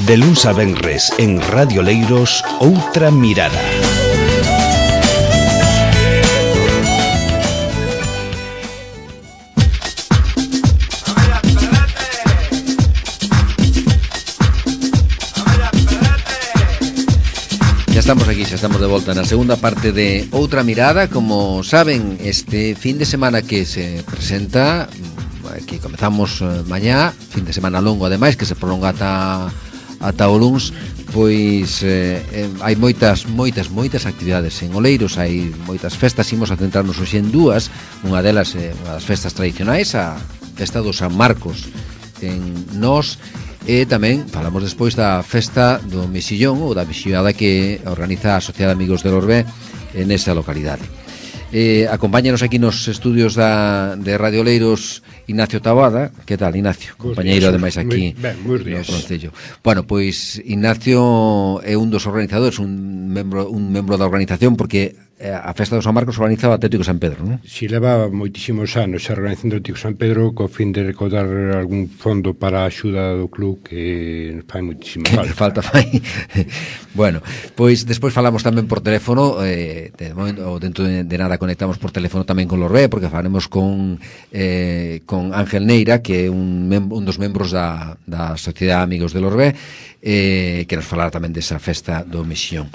De luns a venres en Radio Leiros, Outra Mirada. Xa estamos de volta na segunda parte de Outra Mirada. Como saben, este fin de semana que se presenta, que comezamos mañá, fin de semana longo ademais, que se prolonga ata o luns, pois hai moitas actividades en Oleiros, hai moitas festas. Imos a centrarnos hoxe en dúas. Unha delas é unha das festas tradicionais, a festa do San Marcos en Nós. E tamén falamos despois da festa do Mexillón, ou da mexillada que organiza a Sociedade de Amigos del Orbé nesa localidade. Acompáñanos aquí nos estudios de Radio Leiros Ignacio Taboada. Que tal, Ignacio? Compañeiro ademais aquí no Concello. Bueno, pois Ignacio é un dos organizadores, un membro da organización, porque a festa do San Marcos organizaba o Atlético San Pedro, non? Si, leva moitísimos anos a organización do Atlético San Pedro co fin de recaudar algún fondo para a axuda do club, que fai moitísima falta. Bueno, pois despois falamos tamén por teléfono, dentro de nada conectamos por teléfono tamén con Lorbé, porque falaremos con Ángel Neira, que é un dos membros da Sociedade de Amigos de Lorbé, que nos falará tamén desa festa do Mexillón.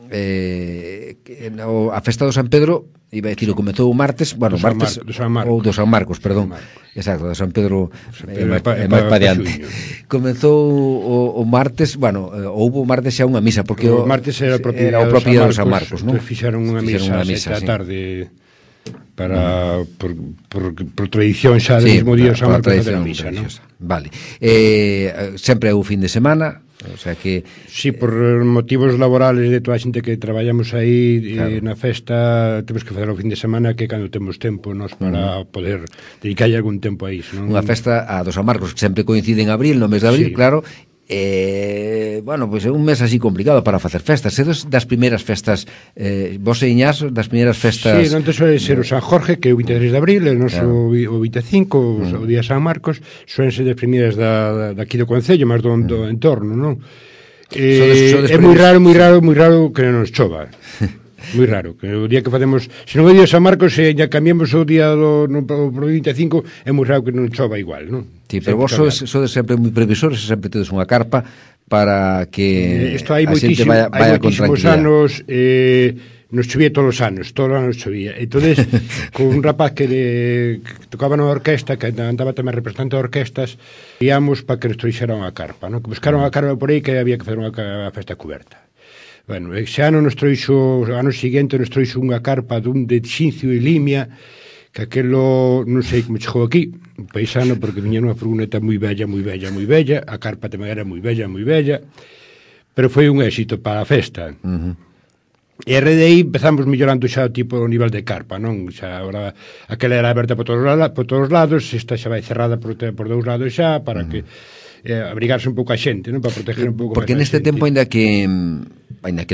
A festa do San Pedro, iba a dicir, comezou o martes, bueno, do San Marcos, perdón. Exacto, do San Pedro é máis pa diante. Comezou o martes, bueno, houbo o martes xa unha misa, porque o martes era o propio do San Marcos, non? Fixeron unha misa a tarde para por tradición xa do mesmo día San Marcos da misa, non? Vale. Sempre é o fin de semana. O sea que si, por motivos laborales de toda a xente que traballamos aí, claro, na festa temos que facer o fin de semana, que cando temos tempo nos para poder dedicarlle algún tempo a iso, non? Unha festa a do San Marcos que sempre coincide en abril, no mes de abril, sí. Claro. Bueno, pois é un mes así complicado para facer festas. É das primeiras festas, vos e Iñás, das primeiras festas. Sí, non te suele ser o San Jorge, que é o 23 de abril, e non o 25, o día San Marcos, suelen ser das primeiras daqui do Concello, máis do entorno, non? É moi raro que non nos chova. Moi raro, que o día que facemos, se non é o día San Marcos, se ya cambiamos o día do 25, é moi raro que non chova igual, non? Sí, pero vos sodes sempre moi previsores, sempre tedes unha carpa para que a xente vaya con tranquilidade. Anos nos chovía todos os anos chovía. Entonces, con un rapaz que tocaba na orquesta, que andaba tamén representante de orquestas, íamos para que nos trouxera unha carpa, non? Que buscaron unha carpa por aí, que había que fazer unha festa coberta. Bueno, ese ano ano seguinte nos trouxo unha carpa de Xincio e Limia, que aquelo, non sei como chegou aquí, un paisano, porque viña nunha furgoneta moi bella, a carpa tamén era moi bella, pero foi un éxito para a festa. E a rede aí empezamos mellorando xa o tipo o nivel de carpa, non? Xa agora aquela era aberta por todos os lados, esta xa vai cerrada por dous lados xa, para que abrigarse un pouco a xente, non? Para proteger un pouco. Porque neste tempo, ainda que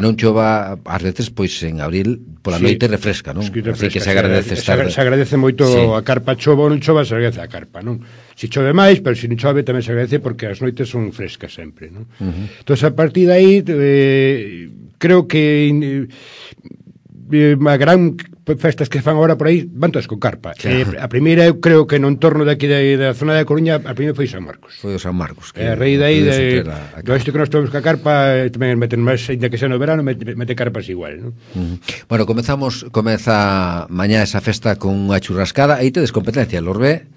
non chova, ás veces, pois en abril pola noite refresca, non? Así que se agradece estar. Se agradece moito a carpa, chova ou non chova, se agradece a carpa, non? Se chove máis, pero se non chove tamén se agradece, porque as noites son frescas sempre, non? Entón, a partir de aí, creo que a gran festas que fan agora por aí van todas con carpa. A primeira, eu creo que no entorno daqui da zona da Coruña, a primeira foi San Marcos. Foi o San Marcos. A raíz de aí, do isto que nós tomamos ca carpa, tamén meten máis, ainda que xa no verano, mete carpas igual, non? Bueno, comeza mañá esa festa con unha churrascada. Aí tedes competencia, Lorbé.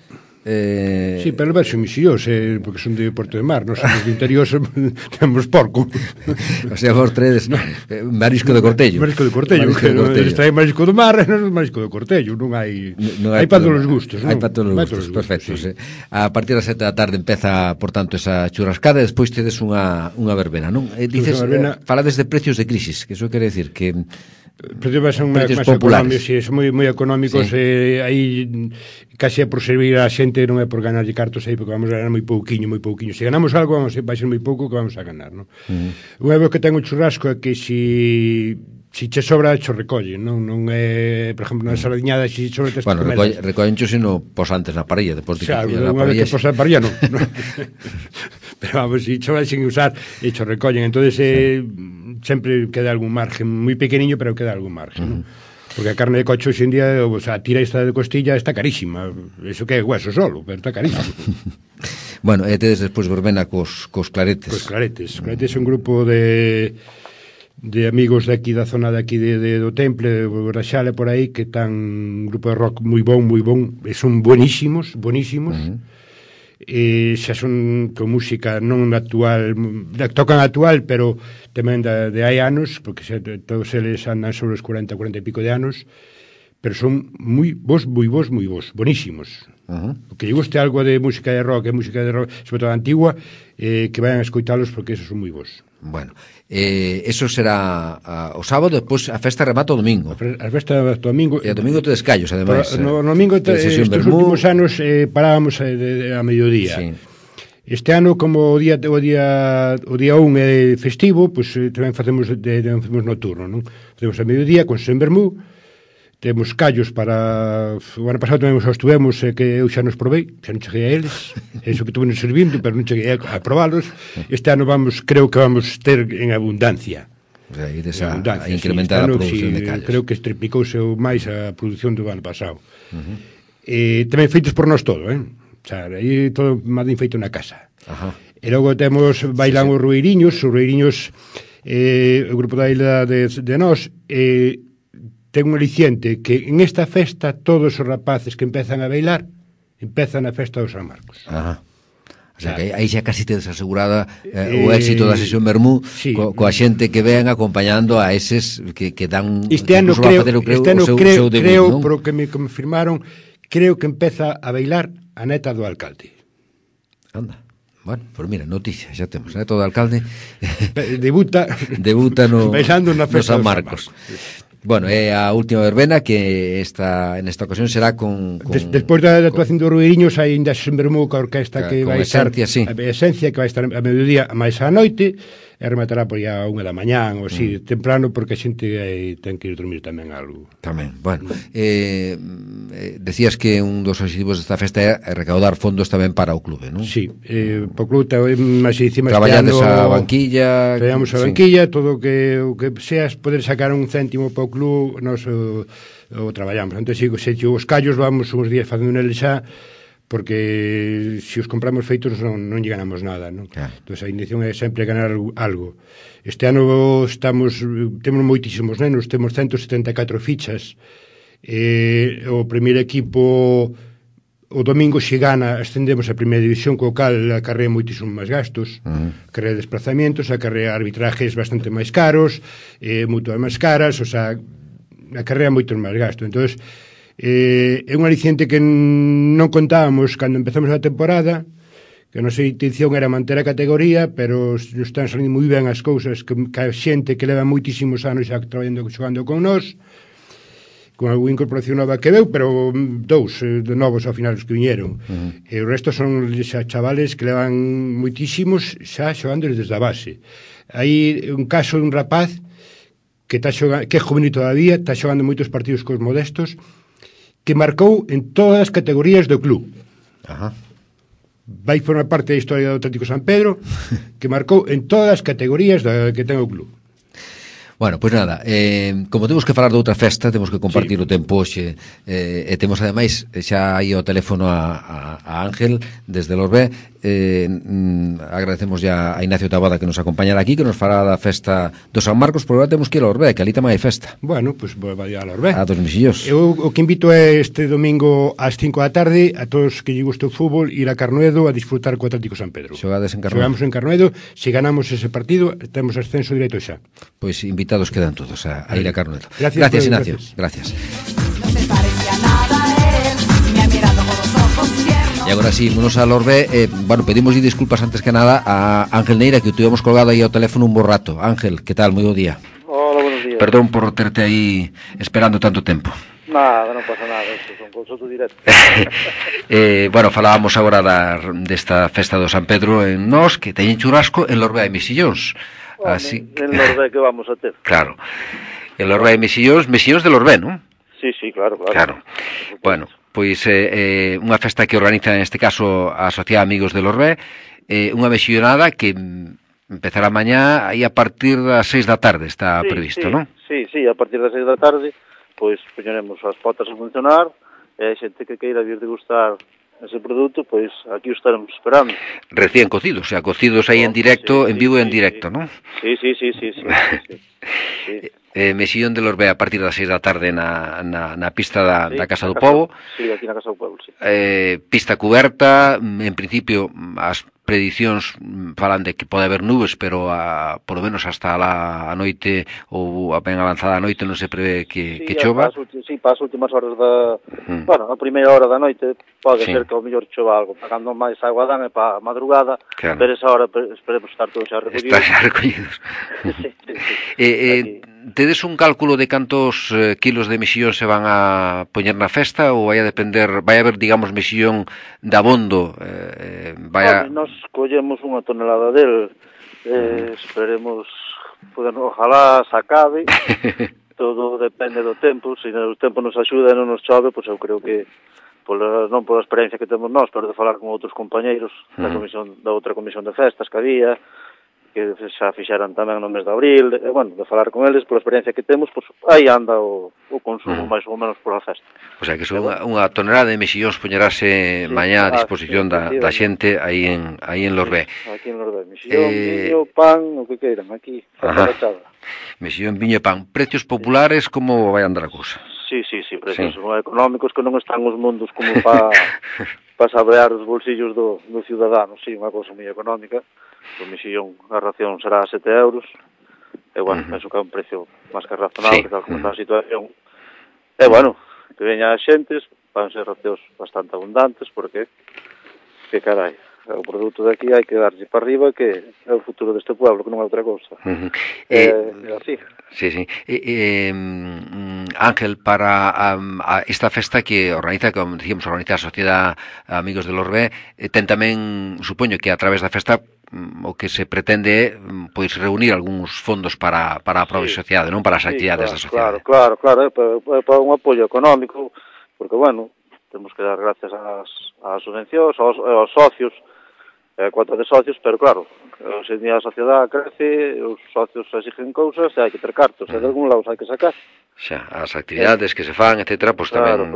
Sí, pero verso misiós, porque son de Porto de Mar, nós somos de interior, temos porco. O sea, vos tredes marisco de Cortello. Marisco de Cortello, extrae marisco do mar, non marisco de Cortello, non hai para todos os gustos, non? Hai para todos os gustos, perfecto. Sí. A partir das 7 da tarde empeza, por tanto, esa churrascada, e despois tedes unha verbena, non? Dices, falades de precios de crisis, que iso quere decir que precios son máis económicos, si, son moi económicos, aí case por servir a xente, non é por ganarlle cartos aí, porque vamos a ganar moi pouquiño. Se ganamos algo, vai ser moi pouco que vamos a ganar, non? Unha vez que ten o churrasco é que si che sobra, cho recolle, non é, por exemplo, na sardiñada, si sobra tes bueno, recollencho sino pos antes na parrilla, depois de que unha vez que posa na parrilla, non. pero vamos, se cho sin usar e cho recollen, entonces sempre queda algún margen, moi pequeniño, pero queda algún margen, non? Porque a carne de coche hoxe en día, o sea, a tira esta de costilla está carísima, eso que é hueso solo, pero está carísimo. Bueno, e tedes despois verbena cos claretes. Cos claretes. Os claretes é un grupo de amigos de aquí, da zona de aquí do Temple, de Raxale, por aí, que están un grupo de rock moi bon, e son buenísimos, e xa son con música non actual, tocan actual, pero tamén de hai anos, porque todos eles andan sobre os 40 e pico de anos, pero son moi bons, bonísimos. O que lle guste algo de música de rock, sobre todo antigua, que vayan a escoitalos, porque esos son moi bons. Bueno, eso será o sábado, despois a festa remata o domingo. A festa remata o domingo. E o domingo tedes callos, ademais. No domingo, estes últimos anos, parábamos a mediodía. Sí. Este ano, como o día 1 é festivo, pois tamén facemos nocturno, non? Facemos a mediodía con sen vermú, temos callos para... O ano pasado tamén os estuvemos, que eu xa nos provei, xa non cheguei a eles, eso que tuve nos servindo, pero non cheguei a probalos. Este ano creo que vamos ter en abundancia. O sea, ides a incrementar a produción de callos. Creo que estriplicouse máis a produción do ano pasado. Tamén feitos por nós todo, O sea, aí todo máis ben feito na casa. E logo bailan os rueiriños, o grupo da isla de nós, ten un aliciente que en esta festa todos os rapaces que empezan a bailar empezan a festa dos San Marcos. O sea, que aí xa casi tedes asegurada o éxito da sesión Bermú, sí, coa xente que ven acompañando a eses que dan este ano creo, por o que me confirmaron, creo que empeza a bailar a neta do alcalde. Anda. Bueno, pues mira, noticia, xa temos, a neta do alcalde debuta no San Marcos. Bueno, é a última verbena que nesta ocasión será con... Despois da actuación dos rueiriños aínda sen vermú coa orquesta que vai estar sí. A esencia que vai estar a mediodía máis á noite e rematará por aí a 1 da mañán ou así, temprano, porque a xente ten que ir dormir tamén algo. Tamén, bueno. Decías que un dos objetivos desta festa é recaudar fondos tamén para o clube, non? Sí, o clube máis encima traballades a banquilla. Traballamos a banquilla, todo o que seas poder sacar un céntimo para o clube, nós o traballamos. Entón, se os callos vamos uns días facendo neles xa, porque se os compramos feitos non lle ganamos nada, non? Claro. Entón, a intención é sempre ganar algo. Este ano temos moitísimos nenos, temos 174 fichas. O primeiro equipo o domingo se gana, ascendemos a primeira división, co cal acarrea moitísimos máis gastos, acarrea desplazamientos, acarrea arbitrajes bastante máis caros, mutuas máis caras, o sea, acarrea moitos máis gastos. Entón, é un aliciente que non contábamos cando empezamos a temporada, que a nosa intención era manter a categoría, pero están salindo moi ben as cousas, que a xente que leva moitísimos anos xa traballando, xogando con nós, con algunha incorporación nova que veu, pero dous de novos ao final os que viñeron. E o resto son xa chavales que levan moitísimos xa xogando desde a base. Hai un caso de un rapaz que é juvenil todavía, está xogando moitos partidos cos modestos, que marcou en todas as categorías do club. Vai formar parte da historia do Atlético San Pedro, que marcou en todas as categorías que ten o club. Bueno, pois nada, como temos que falar de outra festa, temos que compartir o tempo hoxe, e temos ademais xa aí o teléfono a Ángel desde Lorbé. Agradecemos ya a Ignacio Tabada que nos acompañará aquí, que nos fará da festa do San Marcos, pero agora temos que ir a Lorbé, que ali tamén hai festa. Bueno, pois vai a Lorbé. A dos Mexillós. Eu o que invito é este domingo ás 5 da tarde a todos que lle guste o fútbol ir a Carnuedo a disfrutar co Atlético San Pedro. Xogades en Carnuedo. Xogamos en Carnuedo, se ganamos ese partido temos ascenso directo xa. Pois invitados quedan todos a ir a Carnuedo. Gracias, Ignacio. Gracias. No se parece a nada él, me ha mirado con los ojos tiernos. E agora sí, vámonos a Lorbé. Bueno, pedimos disculpas antes que nada a Ángel Neira, que o tivemos colgado aí ao teléfono un bo rato. Ángel, que tal? Moi bo día. Hola, buenos días. Perdón por terte aí esperando tanto tempo. Nada, non pasa nada, isto son consulto directo. Bueno, falábamos agora desta festa do San Pedro en Nós, que teñen churrasco en Lorbé e Mexillóns. Así en Lorbé que vamos a ter. Claro. En Lorbé e Mexillóns de Lorbé, non? Sí, claro. Bueno, pois unha festa que organiza neste caso a Sociedade Amigos de Lorbé, unha mexionada que empezará mañá aí a partir das 6 da tarde, está previsto, non? Sí, a partir das 6 da tarde, pois poñeremos as potas a funcionar, e a xente que queira vir degustar ese produto, pois aquí o estaremos esperando. Recién cocidos, o sea, cocidos aí en directo, en vivo e en directo, non? Sí. Mexillón de Lorbea a partir das 6 da tarde na pista da Casa do Pobo. Sí, aquí na Casa do Pobo, sí. Pista cuberta, en principio as predicións falan de que pode haber nubes, pero polo menos hasta a noite ou a ben avanzada a noite non se prevé que chova. Para as últimas horas bueno, a primeira hora da noite pode ser que ao mellor chova algo, pagando máis agua dan e para a madrugada, claro. Pero esa hora esperemos estar todos xa recollidos. Estar xa recollidos. Tedes un cálculo de cantos kilos de mexillón se van a poñer na festa ou vai a depender, vai a haber, digamos, mexillón de abondo? Nos collemos unha tonelada del, esperemos poder, ojalá se acabe. Todo depende do tempo, se o tempo nos axuda e non nos chove, pois eu creo que non pola experiencia que temos nós, pero de falar con outros compañeiros da outra comisión de festas que había, que xa fixeran tamén no mes de abril, de falar con eles, pola experiencia que temos, pois aí anda o consumo máis ou menos pola festa. O sea, que son unha tonelada de mexillóns poñerase mañá a disposición da xente aí en Lorbé. Aquí en Lorbé, mexillón, viño, pan, o que queiran, aquí, fachada. Mexillón, viño e pan. Precios populares, como vai andar a cousa? Sí, precios económicos que non están os mundos como para sabrear os bolsillos do ciudadano, sí, unha cousa moi económica. O mexillón, a ración será 7 euros, e penso que é un precio máis que razonable, que tal como está a situación. E que veña a xentes, van ser racións bastante abundantes, porque, que carai, o produto de aquí hai que darlle para arriba, que é o futuro deste pueblo, que non é outra cousa. Así. Sí. Ángel, para esta festa que organiza, como decíamos, organiza a Sociedade Amigos de Lorbé, ten tamén, supoño que a través da festa o que se pretende é pois reunir algúns fondos para a propia sociedade, non para as actividades da sociedade. Claro, para un apoio económico, porque, temos que dar gracias ás subvencións, aos socios, cuota de socios, pero claro, hoxe en día a sociedade crece, os socios exigen cousas e hai que ter cartos, e de algún lado hai que sacar. Xa, as actividades que se fan, etcétera, pois tamén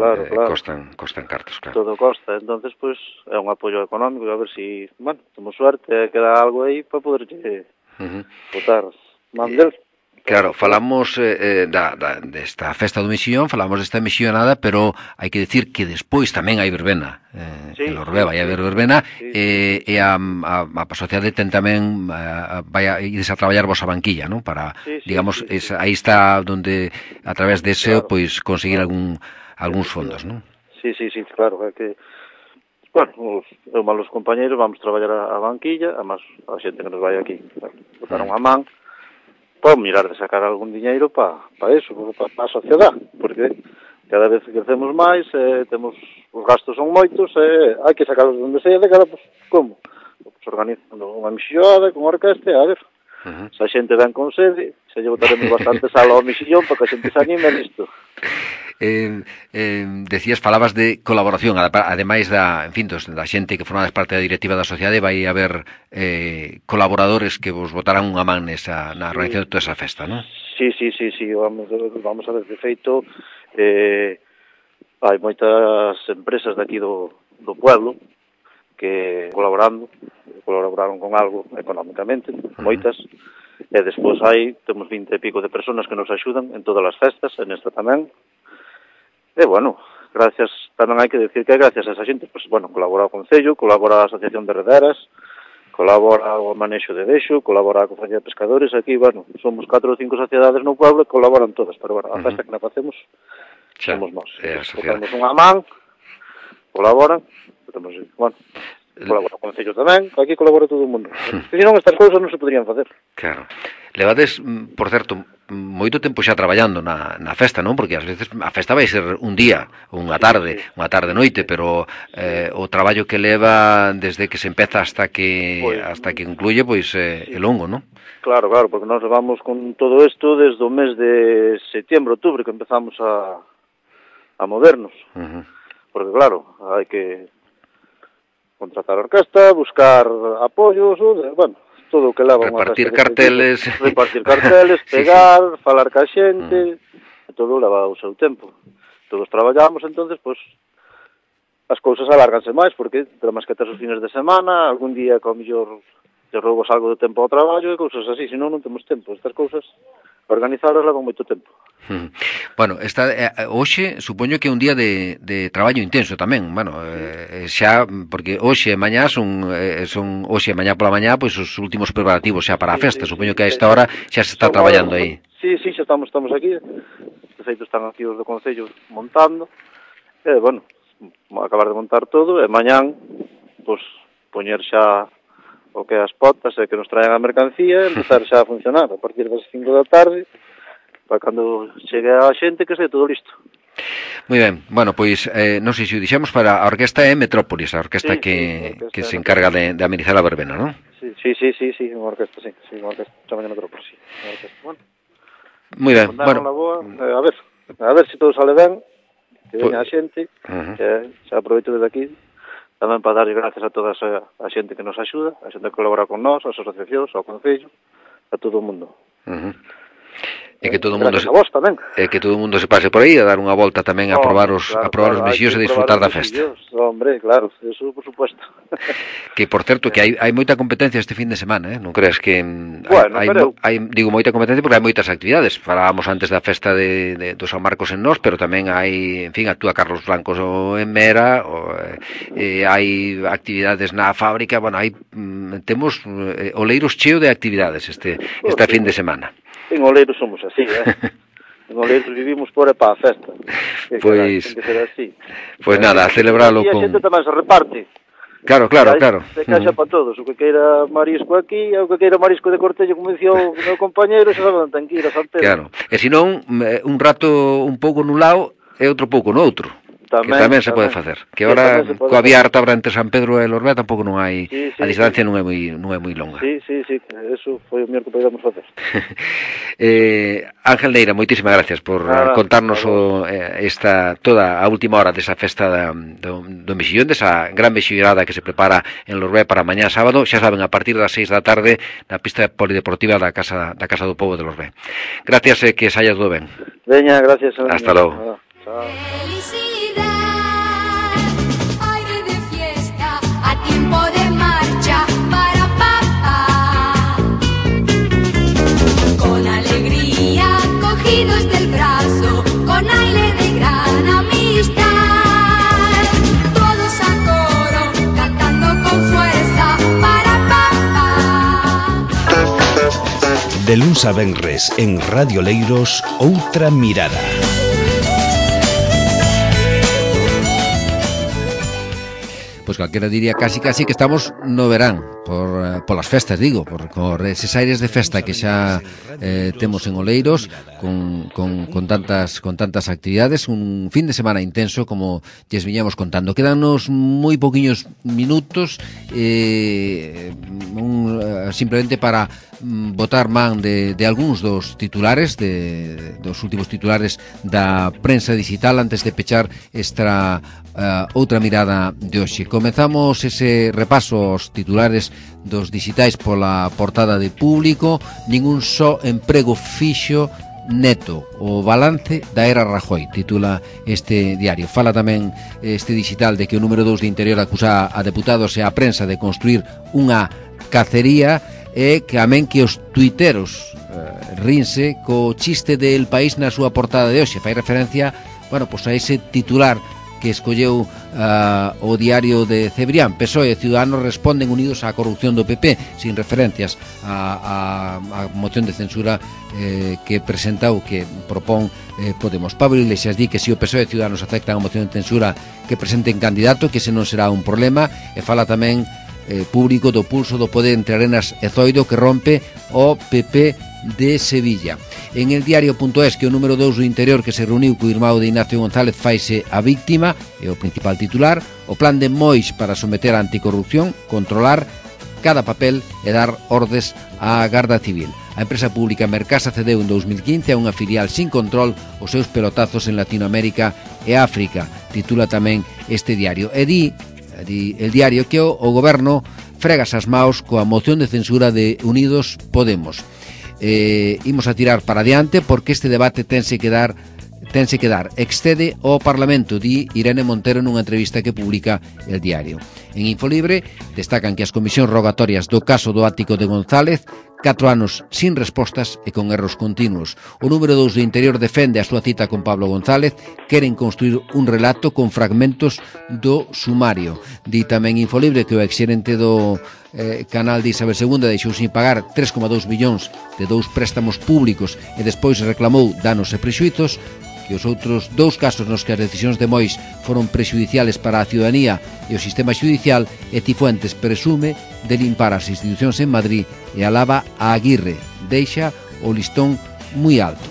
costan cartos, claro. Todo costa, entonces pois é un apoio económico, a ver si, temos suerte e queda algo aí para poder botar mandel. Claro, falamos desta festa do mexillón, falamos desta mexillonada, pero hai que decir que despois tamén hai verbena. En Lorbé vai haber verbena, e a sociedade ten tamén vai a irse a traballar vos a banquilla, non? Para, digamos, aí está onde a través de ese pois conseguir algúns fondos, non? Sí, claro, é que eu malos compañeiros vamos traballar a banquilla, además a xente que nos vai aquí botar unha man, para mirar de sacar algún diñeiro para eso, para a sociedade, porque cada vez crecemos máis, temos os gastos son moitos, hai que sacarlos de onde sea, de cara, como? Organizando unha mexillada con orquesta, a ver, se a xente ven con sede, se lle botaremos bastante sal ao mexillón para que a xente se anime nisto. Falabas de colaboración, ademais da xente que formades parte da directiva da sociedade, vai haber colaboradores que vos botarán unha man na organización de toda esa festa, non? Sí, vamos a ver, de feito, hai moitas empresas daqui do pueblo que colaboraron con algo económicamente, moitas, e despois temos 20 e pico de personas que nos axudan en todas as festas, en esta tamén. E, gracias, tamén hai que decir que gracias a esa xente, colabora o Concello, colabora a Asociación de Rederas, colabora o Manexo de Deixo, colabora a Cofradía de Pescadores, aquí, somos 4 ou 5 sociedades no pueblo que colaboran todas, pero, a festa que na facemos somos nós. Botamos unha man, colaboran, colabora o Concello tamén, aquí colabora todo o mundo. Se non, estas cousas non se poderían facer. Claro. Levades, por certo, moito tempo xa traballando na festa, non? Porque ás veces a festa vai ser un día, unha tarde noite, pero o traballo que leva desde que se empeza hasta que concluye, pois é longo, non? Claro, porque nós vamos con todo isto desde o mes de setembro, outubro, que empezamos a movernos. Porque claro, hai que contratar orquesta, buscar apoios, bueno, todo o que leva repartir carteles, pegar, falar ca xente, todo leva o seu tempo. Todos traballamos, entonces, pois, as cousas alárganse máis, porque temos que ter os fines de semana, algún día, co mellor, te roubas algo de tempo ao traballo e cousas así, senón non temos tempo. Estas cousas, organizadas levan moito tempo. Bueno, hoxe supoño que é un día de traballo intenso tamén, bueno, xa, porque hoxe e mañá son hoxe e mañá pola mañá, pois os últimos preparativos xa para a festa, supoño que a esta hora xa se está traballando aí. Sí, xa estamos aquí, de feito están aquí os do Concello montando, e, bueno, acabar de montar todo, e mañán, pois, poñer xa o que as potas e que nos traen a mercancía, empezar xa a funcionar a partir das 5 da tarde, para cando chegue a xente que este todo listo. Moi ben, bueno, pois non sei se o dixemos, para a orquesta é Metrópolis, a orquesta que se encarga de amenizar a verbena, non? Sí, unha orquesta, unha orquesta, chama Metrópolis, sí, unha orquesta, bueno. Moi ben, bueno. A ver se todo sale ben, que veña a xente, que xa aproveito desde aquí, tamén para darlle gracias a toda a xente que nos axuda, a xente que colabora con nós, as asociacións, ao Concello, a todo o mundo. E que todo o mundo se pase por aí a dar unha volta tamén a probar os mexillos e disfrutar da festa. Hombre, claro, eso por supuesto. Que por certo que hai moita competencia este fin de semana, non crees que digo moita competencia porque hai moitas actividades. Falábamos antes da festa do San Marcos en Nós, pero tamén hai, en fin, actúa Carlos Blancos en Mera, hai actividades na fábrica, bueno, temos Oleiros cheo de actividades este fin de semana. En Oleiros somos así, En Oleiros vivimos por e para a festa. Pois, ten que ser así. Pois nada, a celebralo con... E a xente tamén se reparte. Claro. Se caixa para todos, o que queira marisco aquí, o que queira marisco de Cortello, como dicía o meu compañeiro, xa saben, ten que ir a San Pedro. Claro, e senón, un rato un pouco nun lado e outro pouco no outro. Tamén se pode facer. Que agora, coa vía Artabra entre San Pedro e Lorbea, tampouco non hai... A distancia non é moi longa. Sí, eso foi o mellor que podíamos facer. Ángel Neira, moitísimas gracias por contarnos toda a última hora desa festa do mexillón, desa gran mexillorada que se prepara en Lorbea para mañá sábado, xa saben, a partir das 6 da tarde na pista polideportiva da Casa do Pobo de Lorbea. Gracias e que saia todo ben. Veña, gracias. Hasta logo. Chao. Aire de fiesta, a tiempo de marcha para papá. Con alegría, cogidos del brazo, con aire de gran amistad. Todos a coro, cantando con fuerza para papá. De luns a venres en Radio Leiros, Outra Mirada. Pois calquera diría casi que estamos no verán polas festas, digo, por eses aires de festa que xa temos en Oleiros con tantas actividades, un fin de semana intenso como lles viñamos contando. Quedanos moi poquiños minutos simplemente para botar man de algúns dos titulares dos últimos titulares da prensa digital antes de pechar esta outra mirada de hoxe. Comezamos ese repaso aos titulares dos digitais pola portada de Público. Ningún só emprego fixo neto, o balance da era Rajoy, titula este diario. Fala tamén este digital de que o número 2 de Interior acusa a deputados e a prensa de construir unha cacería e que amén que os tuiteros rinse co chiste del País na súa portada de hoxe. Fai referencia, bueno, pois a ese titular que escolleu o diario de Cebrián. PSOE e Ciudadanos responden unidos á corrupción do PP, sin referencias á moción de censura que presenta ou que propón Podemos. Pablo Iglesias di que se o PSOE e Ciudadanos aceptan a moción de censura que presenten candidato, que ese non será un problema, e fala tamén Público do pulso do poder entre Arenas e Zoido que rompe o PP de Sevilla. En el diario.es que o número 2 do Interior que se reuniu co irmão de Ignacio González faise a víctima, é o principal titular. O plan de Mois para someter a anticorrupción, controlar cada papel e dar ordes á Garda Civil. A empresa pública Mercasa cedeu en 2015 a unha filial sin control os seus pelotazos en Latinoamérica e África, titula tamén este diario. E di di El Diario que o goberno fregas as maos coa moción de censura de Unidos Podemos. Imos a tirar para adiante porque este debate tense que dar, excede ao Parlamento, di Irene Montero nunha entrevista que publica El Diario. En Infolibre destacan que as comisións rogatorias do caso do ático de González 4 anos sin respostas e con erros continuos. O número 2 do Interior defende a súa cita con Pablo González, queren construir un relato con fragmentos do sumario. Di tamén Infolibre que o exxerente do canal de Isabel II deixou sin pagar 3,2 millóns de 2 préstamos públicos e despois reclamou danos e prexuizos, que os outros 2 casos nos que as decisións de Mois foron prexudiciales para a ciudadanía e o sistema judicial, e Cifuentes presume de limpar as institucións en Madrid e alaba a Aguirre, deixa o listón moi alto.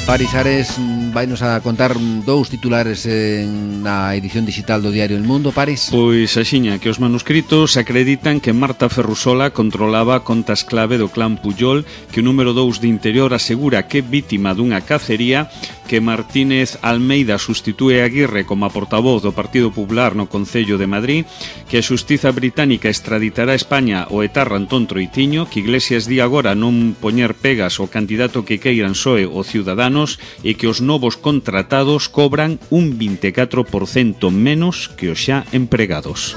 Paris Ares vainos a contar 2 titulares na edición digital do diario El Mundo, Paris. Pois axiña que os manuscritos acreditan que Marta Ferrusola controlaba contas clave do clan Pujol, que o número 2 de Interior asegura que é vítima dunha cacería, que Martínez Almeida sustitúe a Aguirre como a portavoz do Partido Popular no Concello de Madrid, que a xustiza británica extraditará a España o etarra Antón Troitiño, que Iglesias di agora non poñer pegas ao candidato que queiran PSOE o Ciudadanos, e que os novos contratados cobran un 24% menos que os xa empregados.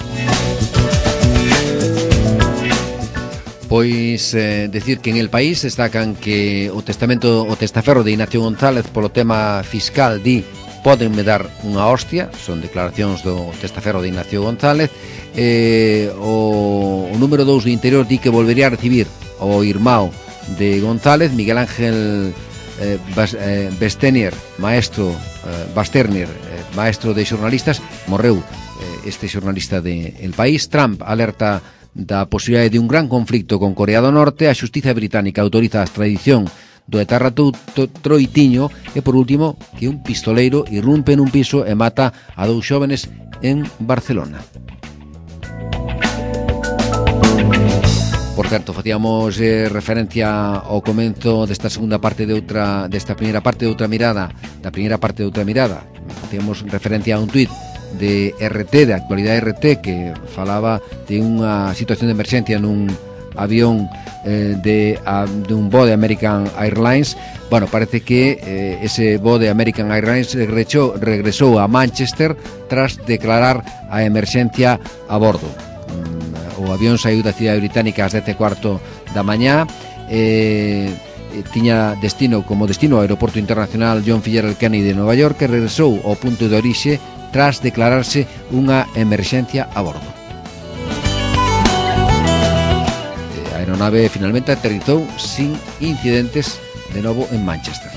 Pois decir que en El País destacan que o testaferro de Ignacio González polo tema fiscal di pódenme dar unha hostia, son declaracións do testaferro de Ignacio González. O número 2 do Interior di que volvería a recibir o irmão de González, Miguel Ángel Basternier, maestro de xornalistas, morreu este xornalista de El País. Trump alerta da posibilidade de un gran conflicto con Corea do Norte. A xustiza británica autoriza a extradición do etarra Troitiño. E por último, que un pistoleiro irrumpe nun piso e mata a 2 xóvenes en Barcelona. Por certo, facíamos referencia ao comenzo desta segunda parte desta primeira parte de Outra Mirada, facíamos referencia a un tuit de RT, de Actualidade RT, que falaba de unha situación de emerxencia nun avión de un voo de American Airlines. Bueno, parece que ese voo de American Airlines regresou a Manchester tras declarar a emerxencia a bordo. O avión saiu da cidade británica ás 10:15 da mañá, tiña como destino o Aeroporto Internacional John F. Kennedy de Nova York, e regresou ao punto de orixe tras declararse unha emerxencia a bordo. A aeronave finalmente aterrizou sin incidentes de novo en Manchester.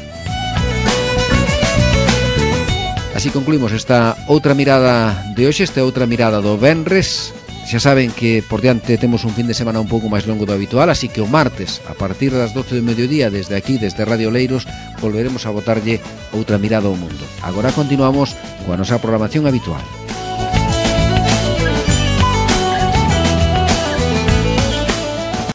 Así concluímos esta outra mirada de hoxe, esta outra mirada do venres. Xa saben que por diante temos un fin de semana un pouco máis longo do habitual, así que o martes, a partir das 12 do mediodía, desde aquí, desde Radio Leiros, volveremos a botarlle outra mirada ao mundo. Agora continuamos coa nosa programación habitual.